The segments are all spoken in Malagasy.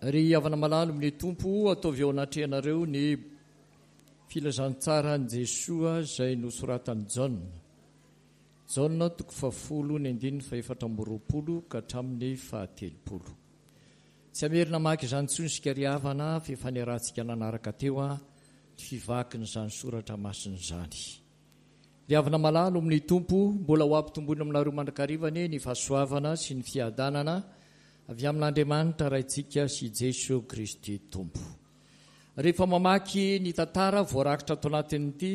Ry havana malalo amin'ny Tompo, ataovy eo anatrehanareo ny filazantsaran'i Jesoa izay nosoratan'i Jaona. Jaona toko fahafolo ny andininy fahefatra amby roapolo ka hatramin'ny fahatelopolo. Tsy hamerina hamaky izany intsony isika ry havana fa efa niarahantsika nanaraka teo ny fivakin'izany soratra masina izany. Ry havana malala ao amin'ny Tompo, mbola ho ampitomboina aminareo mandrakariva anie ny fahasoavana sy ny fiadanana avy amin'Andriamanitra Raintsika sy Jeso Kristy Tompo. Rehefa mamaky ny tantara voarakitra ato anatin'ity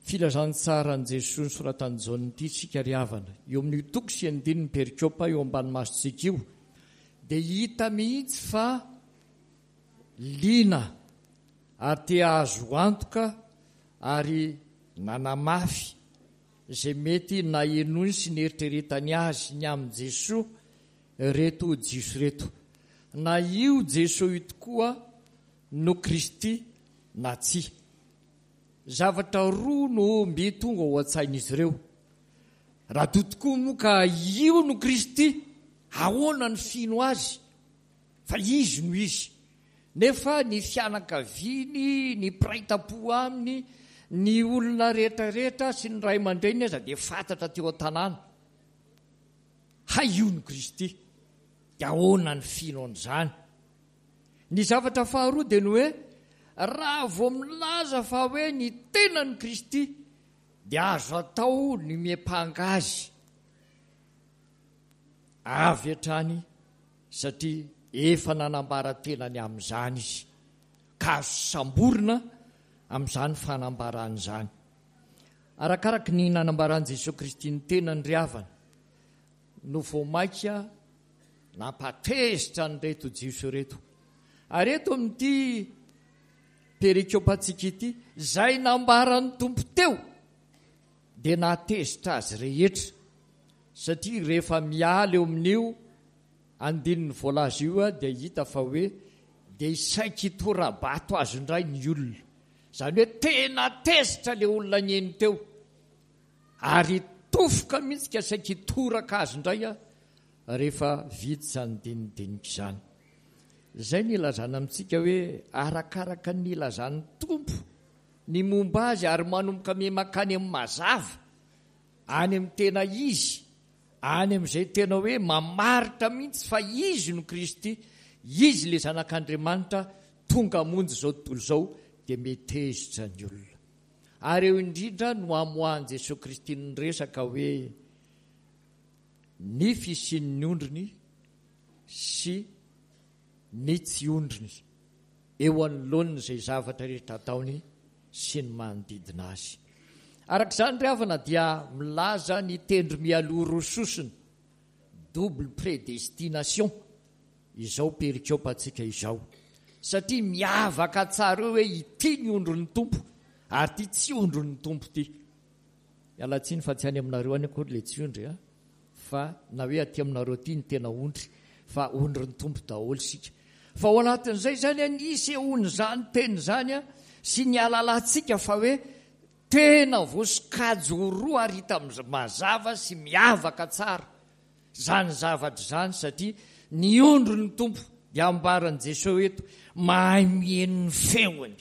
filazantsaran'i Jesoa nosoratan'i Jaona ity isika ry havana, eo amin'io toko sy andininy perikopa eo ambany masontsika io, dia hita mihitsy fa liana ary te hahazo antoka ary nanamafy izay mety nahenoiny sy nieritreretany azy ny amin'i Jesoa ireto Jiosy ireto. Na io Jesoa io tokoa no Kristy na tsia. Zavatra roa no mby tonga ao an-tsain'izy ireo. Raha toa tokoa moa ka io no Kristy, ahoana ny fino azy? Fa izy no izy. Nefa ny fianakaviany, ny mpiray tampo aminy, ny olona rehetra rehetra sy ny ray aman-dreniny aza dia fantatra teo an-tanàna. Hay io no Kristy. Dia ahoana ny fino an'izany? Ny zavatra faharoa dia ny hoe raha vao milaza fa hoe ny tenan'i Kristy dia azo atao ny miampanga azy avy hatrany satria efa nanambara tena ny amin'izany izy, ka azo samborina amin'izany fanambarana izany. Arakaraky ny nanambaran'i Jesoa Kristy ny tenany ry havana, no vao mainka nampatezitra an'ireto Jiosy ireto. Ary eto amin'ity perikopantsika ity, izay nambaran'ny Tompo teo dia nahatezitra azy rehetra, satria rehefa miala eo amin'io andininy voalaza io dia hita fa hoe dia saiky hitora-bato azy indray ny olona. Izany hoe tena tezitra ilay olona nihaino teo ary tofoka mihitsy ka saiky hitoraka azy indray rehefa vita izany dinidinika izany. Izay ny ilazana amintsika hoe arakaraka ny ilazan'ny Tompo ny momba azy ary manomboka miha-mankany amin'ny mazava, any amin'ny tena izy, any amin'izay tena hoe mamaritra mihitsy fa Izy no Kristy, Izy ilay Zanak'Andriamanitra tonga hamonjy izao tontolo izao, dia metezitra ny olona. Ary eo indrindra no amoahan'i Jesoa Kristy ny resaka hoe ny fisian'ny ondriny sy ny tsy ondriny eo anoloan'izay zavatra rehetra ataony sy ny manodidina azy. Araka izany ry havana dia milaza ny tendro mialoha roa sosona, double prédestination, izao perikopantsika izao. Satria miavaka tsara eo hoe ity ny ondrin'ny Tompo ary ity tsy ondrin'ny Tompo ity. Miala tsiny fa tsy any aminareo any akory ilay tsy ondry a! Fa na hoe aty aminareo aty ny tena ondry fa ondrin'ny Tompo daholo isika. Fa ao anatin'izay izany an, ny isehoan'izany teny izany an, sy ny ahalalantsika fa hoe tena voasokajy ho roa ary hita mazava sy miavaka tsara izany zavatra izany satria ny ondrin'ny Tompo dia ambaran'i Jesoa eto mahay mihaino ny feony.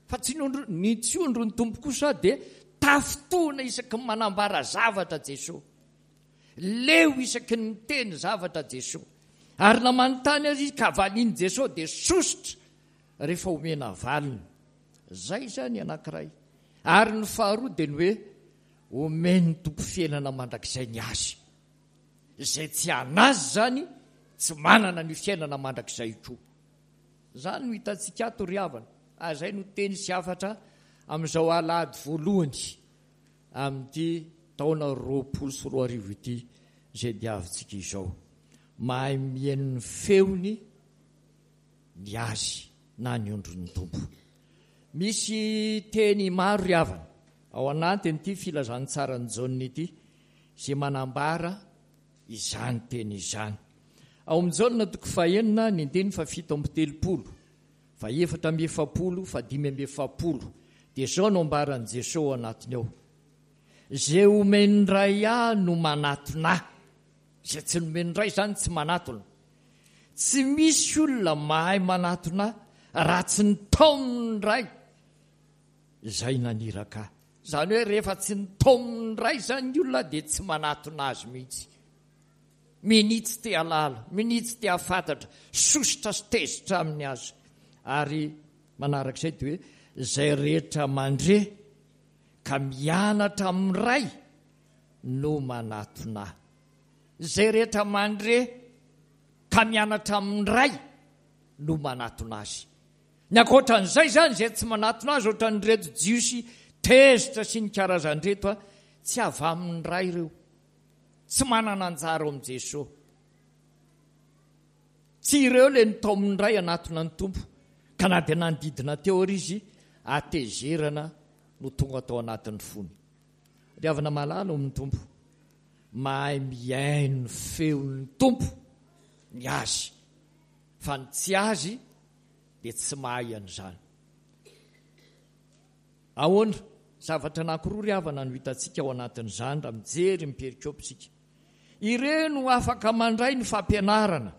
Fa tsy ny ondry, ny tsy ondry ny Tompo kosa dia tafintohina isaky ny manambara zavatra Jesoa. Leo isaky ny miteny zavatra Jesoa. Ary na manontany aza izy ka valian'i Jesoa dia sosotra rehefa omena valiny. Zay izany anankiray. Ary ny faharoa dia ny hoe omen'ny Tompo fiainana mandrakizay ny azy. Izay tsy an'azy izany tsy manana an'io fiainana mandrakizay io koa. Izany no hitantsika ato ry havana, ary izay no teny sy hafatra amin'izao alahady voalohany amin'ity taona 2020 ity izay diavintsika izao. Mahay mihaino ny feony ny azy na ny ondrin'ny Tompo. Misy teny maro ry havana ao anatin'ity filazantsaran'i Jaona ity izay manambara izany teny izany. Ao amin'ny Jaona toko fahenina, ny andininy fahafito amby telopolo, fahefatra amby efapolo, fahadimy amby efapolo, dia izao no ambaran'i Jesoa ao anatiny ao, Izay omen'ny Ray ahy no manatona ahy. Izay tsy nomen'ny Ray izany tsy manatona. Tsy misy olona mahay manatona Ahy raha tsy nitaomin'ny Ray izay naniraka Ahy. Izany hoe rehefa tsy nitaomin'ny Ray izany ny olona dia tsy manatona Azy mihitsy. Minia tsy te hahalala, minia tsy te hahafantatra, sosotra sy tezitra aminy aza. Ary manarak'izay dia hoe izay rehetra mandre ka mianatra amin'ny Ray no manatona Ahy. Izay rehetra mandre ka mianatra amin'ny Ray no manatona Azy. Ny ankoatran'izay izany, izay tsy manatona Azy ohatran'ireto Jiosy tezitra sy ny karazan'ireto, tsy avy amin'ny Ray ireo. Tsy manana anjara ao amin'i Jesoa. Tsy ireo ilay nitaomin'ny Ray hanatona ny Tompo, ka na dia nanodidina teo ary izy, hatezerana no tonga tao anatin'ny fony. Ry havana malala ao amin'ny Tompo, mahay mihaino ny feon'ny Tompo ny azy, fa ny tsy azy dia tsy mahay an'izany. Ahoana? Zavatra anankiroa ry havana no hitantsika ao anatin'izany raha mijery ny perikopa isika. Ireo no afaka mandray ny fampianarana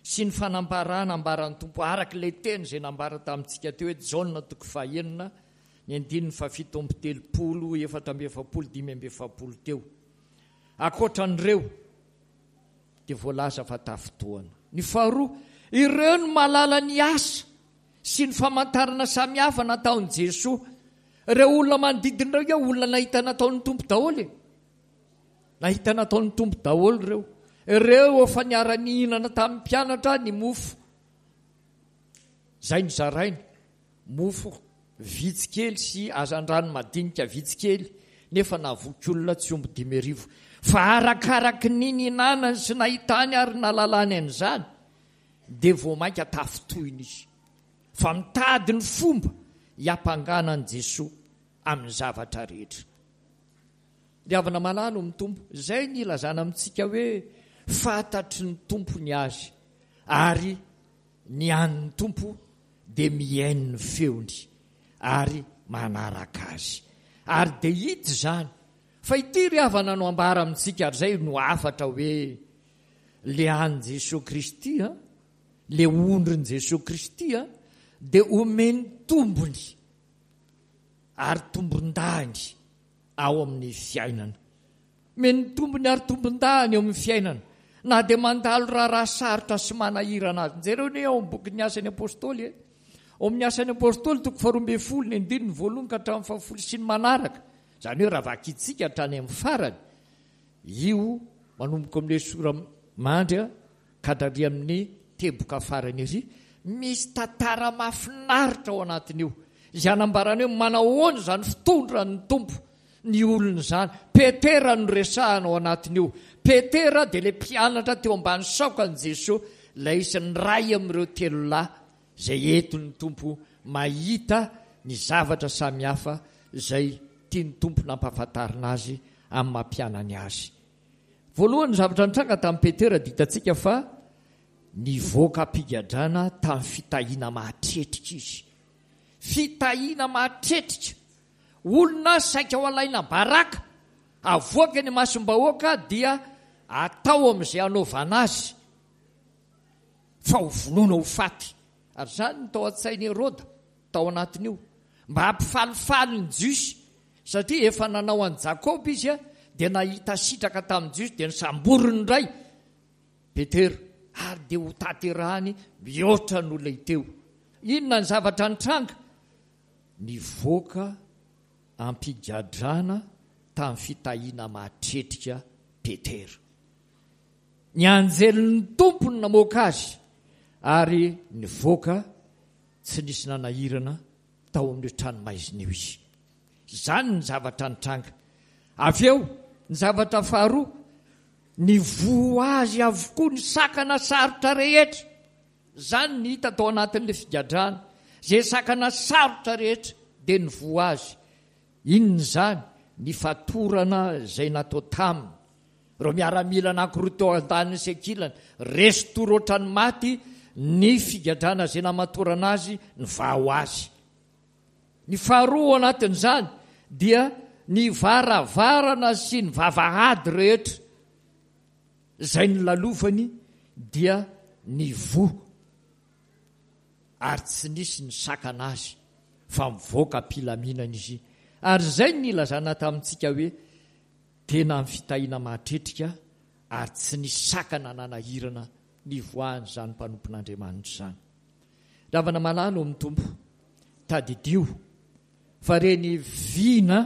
sy ny fanambarana ambaran'ny Tompo araka ilay teny izay nambara tamintsika teo hoe Jaona toko fahenina ny andininy fahafito amby telopolo, 44, 45 teo. Ankoatra an'ireo dia voalaza fa tafintohana. Ny faharoa, ireo no mahalala ny asa sy ny famantarana samihafa nataon'i Jesoa. Ireo olona manodidina ireo io olona nahita nataon'ny Tompo daholo e. Nahita nataon'ny Tompo daholo ireo. Ireo efa niara-nihinana tamin'ny mpianatra ny mofo izay nozarainy. Mofo vitsy kely sy hazandrano madinika vitsy kely nefa nahavoky olona tsy omby 5000. Fa arakaraky ny nihinanany sy nahitany ary nahalalany an'izany dia vao mainka tafintohina izy fa mitady ny fomba hiampangana an'i Jesoa amin'ny zavatra rehetra. Ry havana malala ao amin'ny Tompo, izay ny ilazana amintsika hoe fantatry ny Tompo ny azy ary ny an'ny Tompo dia mihaino ny feony ary manaraka azy. Ary dia hita izany fa ity ry havana no ambara amintsika ary izay no hafatra hoe Le an'i Jesoa Kristy a, le ondrin'i Jesoa Kristy a, dia omeny tombony ary tombondahiny ao amin'ny fiainana. Omeny tombony ary tombondahiny eo amin'ny fiainana, na dia mandalo raharaha sarotra sy manahirana azy. Jereo anie ao amin'ny bokin'ny Asan'ny Apostoly e. Ao amin'ny Asan'ny Apostoly toko faharoa ambin'ny folo, ny andininy voalohany ka hatramin'ny fahafolo sy ny manaraka. Izany hoe raha vakintsika hatrany amin'ny farany, Io manomboka amin'ilay sora-mandry ka hatrary amin'ny teboka farany ery, misy tantara mahafinaritra ao anatin'io, izay anambarany hoe manahoana izany fitondran'ny Tompo ny olony izany. Petera no resahana ao anatin'io. Petera dia ilay mpianatra teo ambany saokan'i Jesoa, ilay isan'ny iray amin'ireo telo lahy izay entin'ny Tompo mahita ny zavatra samihafa izay tian'ny Tompo nampahafantarina azy amin'ny maha mpianany azy. Voalohany, ny zavatra nitranga tamin'i Petera dia hitantsika fa nivoaka am-pigadrana tamin'ny fitahiana mahatretrika izy. Fitahiana mahatretrika! Olona saika ho alaina baraka, avoaka eny imasom-bahoaka dia atao amin'izay hanaovana azy fa ho vonoina ho faty. Ary izany no tao an-tsain'i Heroda tao anatin'io, mba hampifalifaly ny Jiosy, satria efa nanao an'i Jakoba izy dia nahita sitraka tamin'ny Jiosy, dia nosamboriny indray Petera, ary dia ho tanterahany mihoatra noho ilay teo. Inona ny zavatra nitranga? Nivoaka am-pigadrana tamin'ny fitahiana mahatretrika Petera. Ny anjelin'ny Tompo no namoaka azy, ary nivoaka tsy nisy nanahirana tao amin'io tranomaizina io izy. Izany ny zavatra nitranga. Avy eo, ny zavatra faharoa, nivoha azy avokoa ny sakana sarotra rehetra. Izany ny hita tao anatin'ilay figadrana. Izay sakana sarotra rehetra dia nivoha azy. Inona izany? Ny fatorana izay natao taminy. Ireo miaramila anankiroa teo andaniny sy ankilany, resy tory ohatran'ny maty ny figadrana izay namatorana azy nivaha ho azy. Ny faharoa ao anatin'izany dia ny varavarana sy ny vavahady rehetra izay nolalovany dia Nivoha ary tsy nisy nisakana azy fa mivoaka am-pilaminana izy. Ary izay no nilazana tamintsika hoe tena amin'ny fitahiana mahatretrika ary tsy nisy sakana nanahirana nivoahan'izany mpanompon'Andriamanitra izany. Ry havana malala ao amin'ny Tompo, tadidio fa ireny vina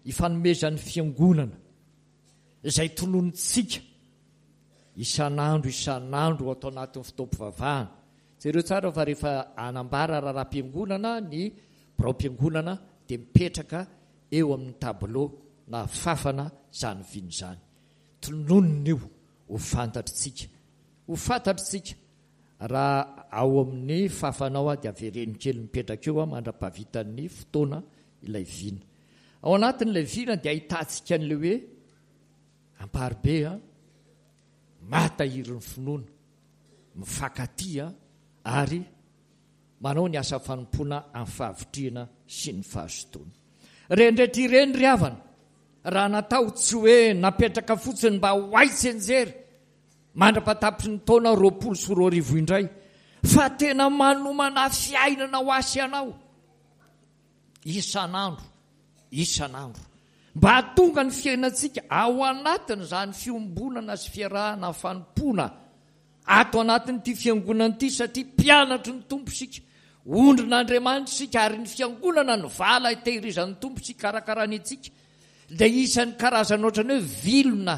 ifanomezan'ny Fiangonana izay tononintsika isan'andro isan'andro ato anatin'ny fotoam-pivavahana. Jereo tsara fa rehefa hanambara raharaham-piangonana ny biraom-piangonana dia mipetraka eo amin'ny tableau na fafana izany vina izany. Tononina io ho fantatritsika. Ho fantatritsika raha ao amin'ny fafanao aho dia avereno kely mipetraka eo aho mandra-pahavitan'ny fotoana ilay vina. Ao anatin'ilay vina dia ahitantsika an'ilay hoe Amparibe a, mahatahiry ny finoana, mifankatia ary manao ny asa fanompoana amin'ny fahavitrihana sy ny fahazotoana. Ireny rehetra ireny ry havana, raha natao tsy hoe napetraka fotsiny mba ho hay tsianjery mandra-patapitry ny taona 2020 indray, fa tena manomana fiainana ho ahy sy ianao isan'andro isan'andro. Mba hahatonga ny fiainantsika ao anatin'izany fiombonana sy fiarahana fanompoana ato anatin'ity fiangonana ity satria mpianatry ny Tompo isika, ondrin'Andriamanitra isika ary ny fiangonana no vala itehirizan'ny Tompo sy ikarakarany antsika dia isan'ny karazana ohatran'ny hoe vilona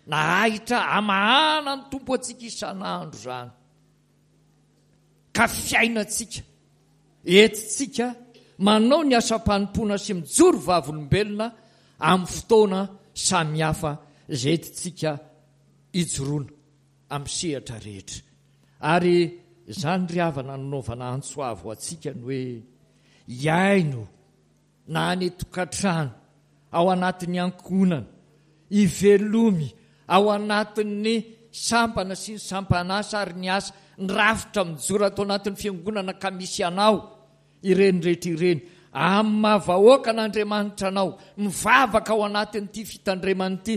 na ahitra amahana ny Tompo antsika isan'andro izany ka fiainantsika Entintsika manao ny asam-panompoana sy mijoro vavolombelona amin'ny fotoana samihafa izay entintsika ijoroana amin'ny sehatra rehetra. Ary izany ry havana no nanaovana antso avo antsika ny hoe hihaino na any an-tokantrano, ao anatin'ny ankohonana, ivelomy ao anatin'ny sampana sy ny sampan'asa ary ny asa, ny rafitra mijoro ato anatin'ny fiangonana ka misy anao, ireny rehetra ireny, amin'ny maha vahoakan'Andriamanitra anao, mivavaka ao anatin'ity fitandremana ity,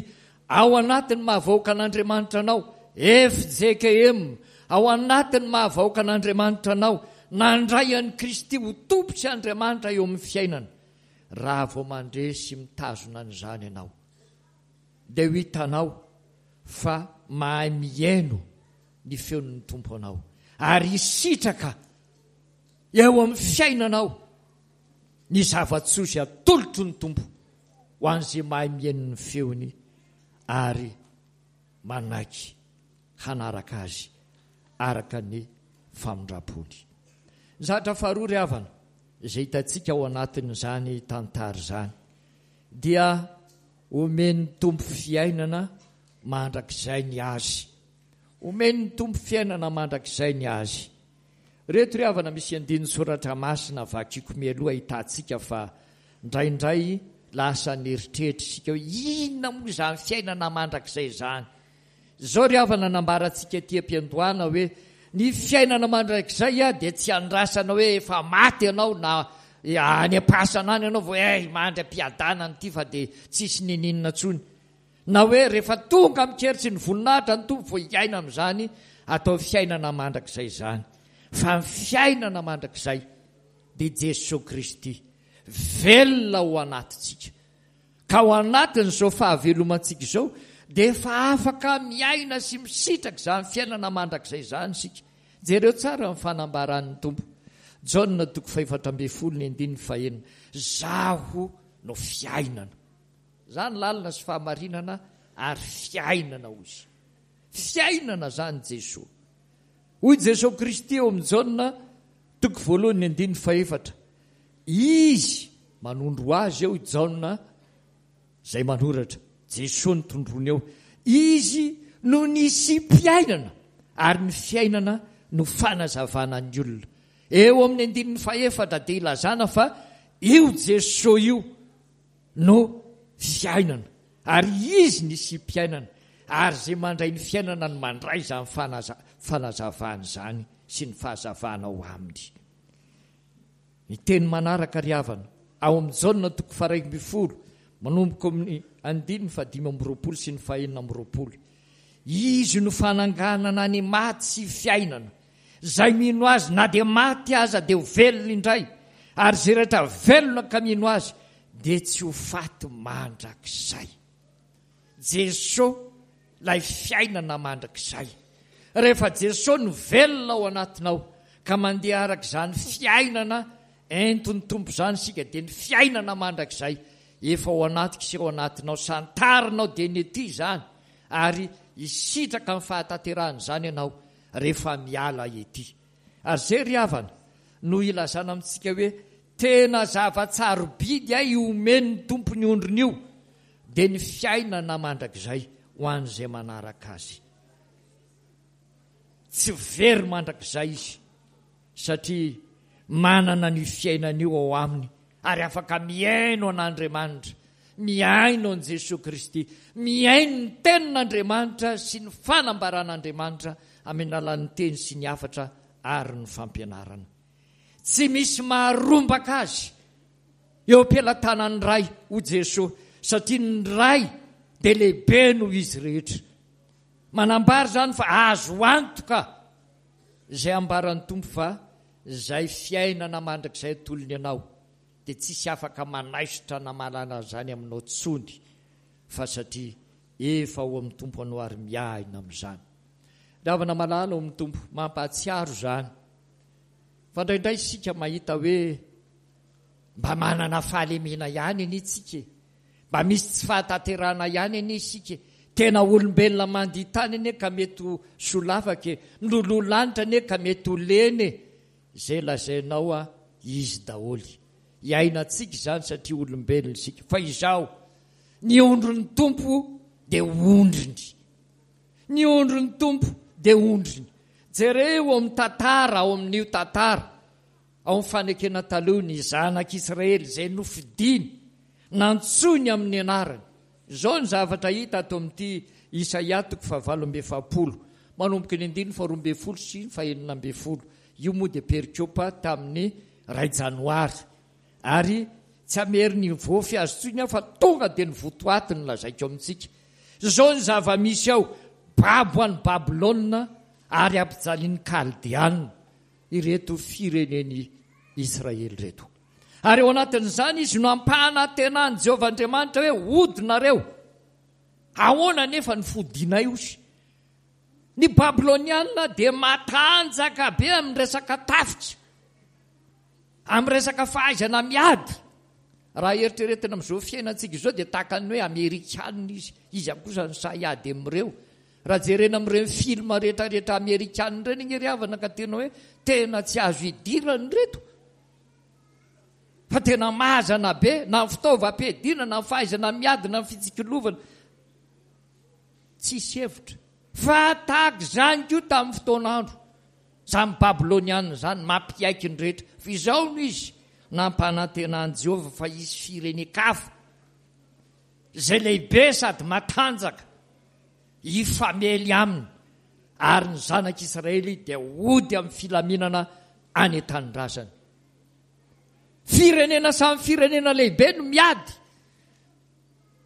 Ao anatin'ny maha vahoakan'Andriamanitra anao, fjkm, ao anatin'ny maha vahoakan'Andriamanitra anao, nandray an'i Kristy ho Tompo sy Andriamanitra eo amin'ny fiainana. Raha vao mandre sy mitazona an'izany ianao, dia ho hitanao fa mahay mihaino ny feon'ny Tompo anao, ary hisitraka eo amin'ny fiainanao ny zava-tsoa izay atolotry ny Tompo ho an'izay mahay mihaino ny feony ary manaiky hanaraka azy araka ny famindram-pony. Ny zavatra faharoa ry havana izay hitantsika ao anatin'izany tantara izany dia omen'ny Tompo fiainana mandrakizay ny azy. Omen'ny Tompo fiainana mandrakizay ny azy. Reto ry havana misy andininy soratra masina vakiko mialoha ahitantsika fa indraindray lasa an'eritreritra isika hoe inona moa izany fiainana mandrakizay izany. Izao ry havana nambarantsika aty am-piandohana hoe ny fiainana mandrakizay dia tsy andrasana hoe efa maty ianao na any am-pasana any ianao vao eh mandry am-piadanana ity fa dia tsisy niniana intsony. Na hoe rehefa tonga amin-kery sy ny voninahitra ny Tompo vao hiaina amin'izany atao fiainana mandrakizay izany. Fa ny fiainana mandrakizay dia Jesoa Kristy velona ao anatintsika. Ka ao anatin'izao fahavelomantsika izao dia efa afaka miaina sy misitraka izany fiainana mandrakizay izany isika. Jereo tsara ny fanambaran'ny Tompo. Jaona toko fahefatra ambin'ny folo ny andininy fahenina. Zaho no fiainana. Izany lalana sy fahamarinana ary fiainana hoy izy. Fiainana izany Jesoa. Hoy Jesoa Kristy eo amin'i Jaona toko voalohany ny andininy fahefatra. Izy manondro azy eo i Jaona izay manoratra. Jesoa no tondroiny eo. Izy no nisiam-piainana ary ny fiainana no fanazavana ny olona. Eo amin'ny andininy fahefatra dia ilazana fa io Jesoa io no fiainana, ary Izy ny isiam-piainana, ary izay mandray ny fiainana no mandray izany fanazavana izany sy ny fahazavana ao aminy. Ny teny manaraka ry havana, ao amin'i Jaona toko faha-11, manomboka amin'ny andininy fahadimy amby roapolo sy ny fahenina amby roapolo. Izy no fananganana ny maty sy fiainana. Izay mino Azy na dia maty aza dia ho velona indray, ary izay rehetra velona ka mino Azy dia tsy ho faty mandrakizay. Jeso ilay fiainana mandrakizay. Rehefa Jeso no velona ao anatinao ka mandeha araka izany fiainana entin'ny Tompo izany isika dia ny fiainana mandrakizay efa ao anatiko sy ao anatinao, santarinao dia ny ety izany ary hisitraka ny fahatanterahan'izany ianao rehefa miala ety. Ary izay ry havana no ilazana amintsika hoe tena zava-tsarobidy hay omen'ny Tompo ny ondriny io dia ny fiainana mandrakizay ho an'izay manaraka Azy. Tsy very mandrakizay izy satria manana an'io fiainana io ao aminy ary afaka mihaino an'Andriamanitra, mihaino an'i Jesoa Kristy, mihaino ny Tenin'Andriamanitra sy ny fanambaran'Andriamanitra amin'ny alalan'ny teny sy ny hafatra ary ny fampianarana. Tsy misy maharombaka azy eo am-pelatanan'ny Ray, hoy Jesoa, satria ny Ray dia lehibe noho izy rehetra. Manambara izany fa azo antoka izay ambaran'ny Tompo fa izay fiainana mandrakizay atolony anao dia tsisy afaka manaisotra na manala an'izany aminao tsony fa satria efa ao amin'ny Tompo anao ary miahina amin'izany. Ry havana malala ao amin'ny Tompo, mampahatsiaro izany fa indraindray isika mahita hoe mba manana fahalemena ihany anie tsika e, mba misy tsy fahatanterahana ihany anie isika e, tena olombelona mandia tany anie ka mety ho solafaka e, miloloha lanitra anie ka mety ho lena e, izay lazainao a izy daholo. Iainantsika izany satria olombelona isika. Fa izao, ny ondrin'ny Tompo dia ondriny. Ny ondrin'ny Tompo dia ondriny. Jereo ao amin'ny tantara, ao amin'io tantara, ao amin'ny fanekena taloha, ny zanak'Israely izay nofidiny, nantsoiny amin'ny anarany. Izao ny zavatra hita ato amin'ity Isaia toko fahavalo amby 40, manomboka ny andininy faharoa ambin'ny folo sy ny fahenina ambin'ny folo. Io moa dia perikopa tamin'ny iray janoary. Ary tsy hamery ny voafy azy intsony aho fa tonga dia ny votoaty no lazaiko amintsika. Izao ny zava-misy ao, babo any Babylona ary ampijalian'ny Kaldeana ireto firenen'i Israely ireto. Ary ao anatin'izany izy no ampanantenan'i Jehovah Andriamanitra hoe hody nareo. Ahoana anefa ny fodianay osy? Ny Babyloniana dia matanjaka be amin'ny resaka tafika, amin'ny resaka fahaizana miady. Raha eritreretina amin'izao fiainantsika izao dia tahaka ny hoe Amerikana izy. Iza kosa no sahy hiady amin'ireo? Raha jerena amin'ireny film rehetrarehetra Amerikana ireny ange ry havana ka tena hoe tena tsy azo idirana ireto. Fa tena mazana be na ny fitaovam-piadiana na ny fahaizana miady na ny fitsikilovana. Tsisy hevitra. Fa tahaka izany koa tamin'ny fotoan'andro. Izany Babyloniana izany mampiaiky ny rehetra. Fa izao no izy, nampanantena an'i Jehovah fa hisy firenen-kafa izay lehibe sady matanjaka hifamely aminy, ary ny zanak'Israely dia hody amin'ny filaminana any an-tanindrazany. Firenena samy firenena lehibe no miady.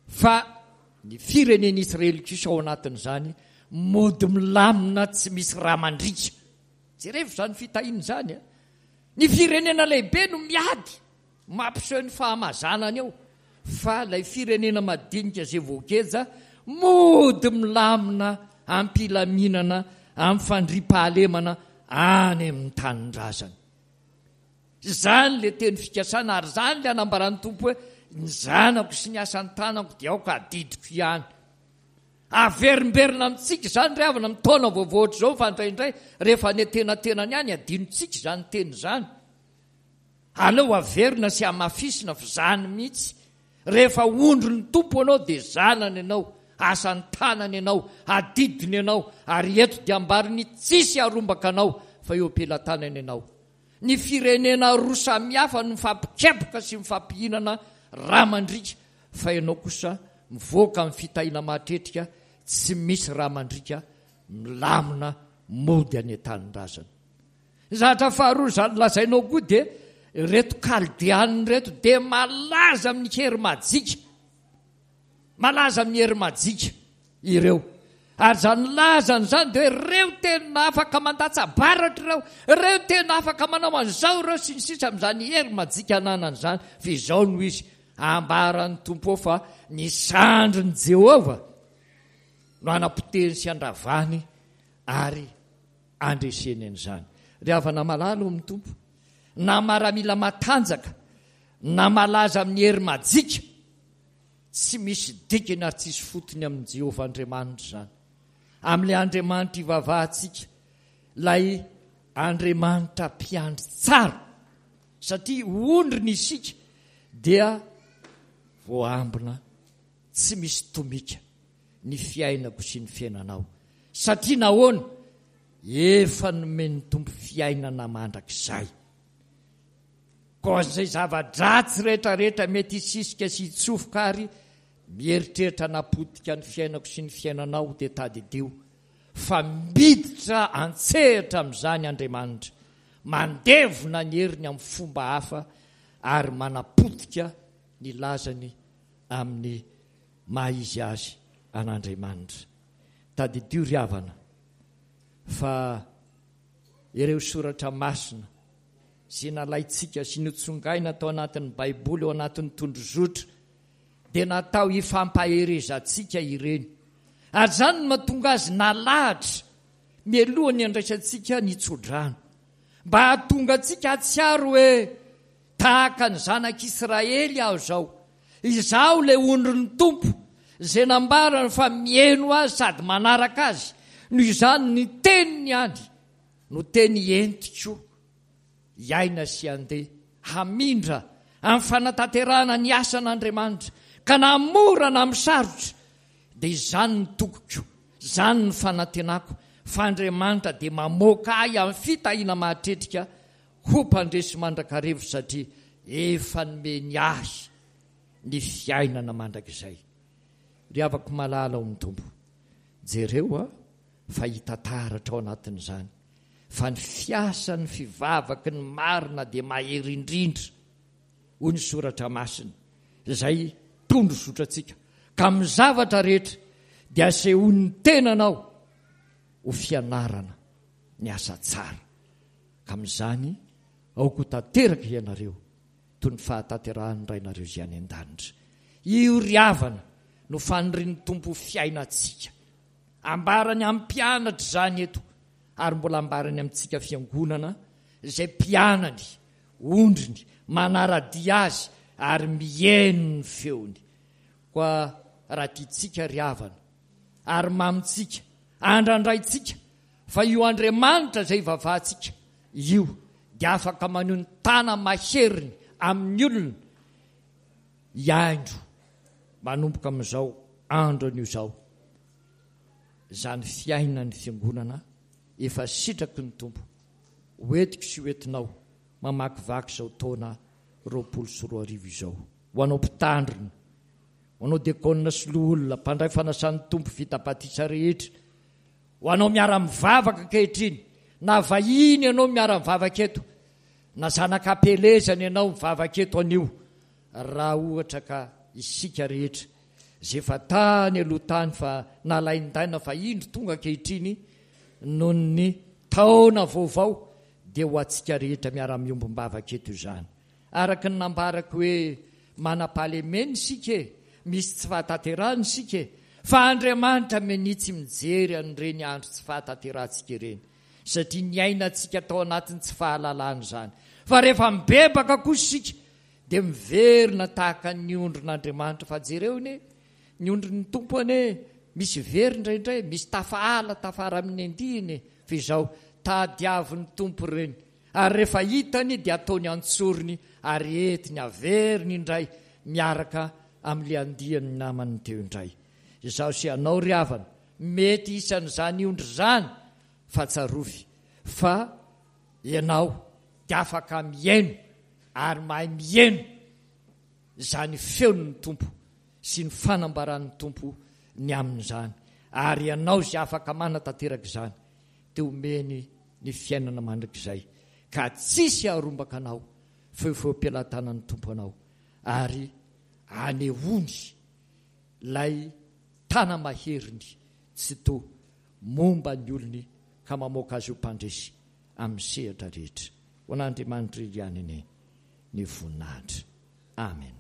Fa ny firenen'Israely kosa ao anatin'izany mody milamina tsy misy rà mandriaka. Jerevo izany fitahiana izany a! Ny firenena lehibe no miady, mampiseho ny fahamazanany eo, fa ilay firenena madinika izay voageja mody milamina am-pilaminana, amin'ny fandriampahalemana any amin'ny tanindrazany. Izany ilay teny fikasana ary izany ilay anambaran'ny Tompo hoe ny zanako sy ny asan'ny tanako dia aoka adidiko ihany. Averimberina amintsika izany ry havana amin'ny taona vaovao ohatr'izao fa indraindray rehefa any antenatenany any adinontsika izany teny izany. Aleo averina sy hamafisina fa izany mihitsy. Rehefa ondrin'ny Tompo ianao dia zanany ianao, asan'ny tanany ianao, adidiny ianao ary eto dia ambariny tsisy harombaka anao fa eo am-pelatanany ianao. Ny firenena roa samihafa no mifampikapoka sy mifampihinana rà mandriaka fa ianao kosa mivoaka amin'ny fitahiana mahatretrika tsy misy rà mandriaka milamina mody any an-tanindrazana. Ny zavatra faharoa izany lazainao koa dia ireto kaldeanina ireto dia malaza amin'ny hery majika. Malaza amin'ny hery majika ireo. Ary izany lazany izany dia hoe ireo tena afaka mandatsa-baratra ireo, ireo tena afaka manao an'izao ireo sy ny sisa amin'izany hery majika ananany izany. Fa izao no izy, ambaran'ny Tompo ao fa ny sandrin'i Jehovah no hanapotehiny sy handravany ary handreseny an'izany. Ry havana malala ao amin'ny Tompo, na maramila matanjaka, na malaza amin'ny hery majika, Tsy misy dikany ary tsisy fotony amin'i Jehovah Andriamanitra izany. Amin'ilay Andriamanitra ivavahantsika, ilay Andriamanitra mpiandry tsara, satria ondriny isika dia voaambina tsy misy tomika ny fiainako sy ny fiainanao. Satria nahoana? Efa nomen'ny Tompo fiainana mandrakizay. Koa izay zava-dratsy rehetrarehetra mety hisisika sy hitsofoka ary mieritreritra hanapotika ny fiainako sy ny fiainanao dia tadidio fa miditra an-tsehatra amin'izany Andriamanitra, mandevona ny heriny amin'ny fomba hafa ary manapotika ny lazany amin'ny maha izy azy an'Andriamanitra. Tadidio ry havana fa ireo soratra masina izay nalaintsika sy notsongaina tao anatin'ny Baiboly ao anatin'ny tondrozotra dia natao hifampaherezantsika ireny. Ary izany no mahatonga azy nalahatra mialohan'ny handraisantsika ny tsodrano. Mba hahatonga antsika hahatsiaro hoe tahaka ny zanak'Israely aho izao. Izaho ilay ondrin'ny Tompo izay nambarany fa mihaino azy sady manaraka azy. Noho izany ny teniny ihany no teny entiko hiaina sy handeha hamindra amin'ny fanatanterahana ny asan'Andriamanitra, ka na mora na amin'ny sarotra, dia izany ny tokiko, izany ny fanantenako, fa Andriamanitra dia mamoaka ahy amin'ny fitahiana mahatretrika ho mpandresy mandrakariva satria efa nomeny ahy ny fiainana mandrakizay. Ry havako malala ao amin'ny Tompo, jereo a! fa hita taratra ao anatin'izany fa ny fiasan'ny fivavaky ny marina dia mahery indrindra, hoy ny Soratra Masina, izay tondro zotrantsika, ka amin'ny zavatra rehetra dia asehoan'ny tenanao ho fianarana ny asa tsara, ka amin'izany aoka ho tanteraka ianareo toy ny fahatanterahan'ny Rainareo izay any an-danitra. Io ry havana no fanirian'ny Tompo ho fiainantsika. Ambarany amin'ny mpianatra izany eto ary mbola ambarany amintsika fiangonana izay mpianany, ondriny, manara-dia azy ary mihaino ny feony. Koa raha tiantsika ry havana ary mamintsika, andrandraintsika fa io Andriamanitra izay ivavahantsika io dia afaka maneho ny tana-maheriny amin'ny olona hiaindro manomboka amin'izao andro anio izao izany fiainan'ny fiangonana efa sitraky ny Tompo ho entiko sy ho entinao mamakivaky izao taona 2020 izao. Ho anao mpitandrina, ho anao diakona sy loholona, mpandray fanasan'ny Tompo vita batisa rehetra, ho anao miara-mivavaka ankehitriny, na vahiny ianao miara-mivavaka eto, na zanak'ampielezana ianao mivavaka eto anio, Raha ohatra ka isika rehetra izay efa tany aloha tany fa nalaindaina fa indro tonga ankehitriny noho ny taona vaovao dia ho antsika rehetra miara-miombom-bavaka eto izany. Araka ny nambarako hoe manam-pahalemena isika e, misy tsy fahatanterahana isika e, fa Andriamanitra menia tsy mijery an'ireny andro tsy fahatanterahantsika ireny satria niainantsika tao anatin'ny tsy fahalalana izany. Fa rehefa mibebaka kosa isika Dia miverina tahaka ny ondrin'Andriamanitra. Fa jereo anie, ny ondrin'ny Tompo anie misy very indraindray, misy tafahala tafara amin'ny andiany e. Fa izao, tadiavin'ny Tompo ireny, ary rehefa hitany dia ataony an-tsorony ary entiny averiny indray miaraka amin'ilay andiany namany teo indray. Izaho sy ianao ry havana, mety isan'izany ondry izany, fa tsarovy fa ianao dia afaka mihaino ary mahay mihaino izany feon'ny Tompo sy ny fanambaran'ny Tompo ny amin'izany, ary ianao izay afaka manatanteraka izany dia omeny ny fiainana mandrakizay, ka tsisy haharombaka anao fa eo feom-pelatanan'ny Tompo anao, ary anehoany ilay tana-maheriny. Tsitoha momba ny olony ka mamoaka azy ho mpandresy amin'ny sehatra rehetra. Ho an'Andriamanitra irery ihany anie ny voninahitra. Amen.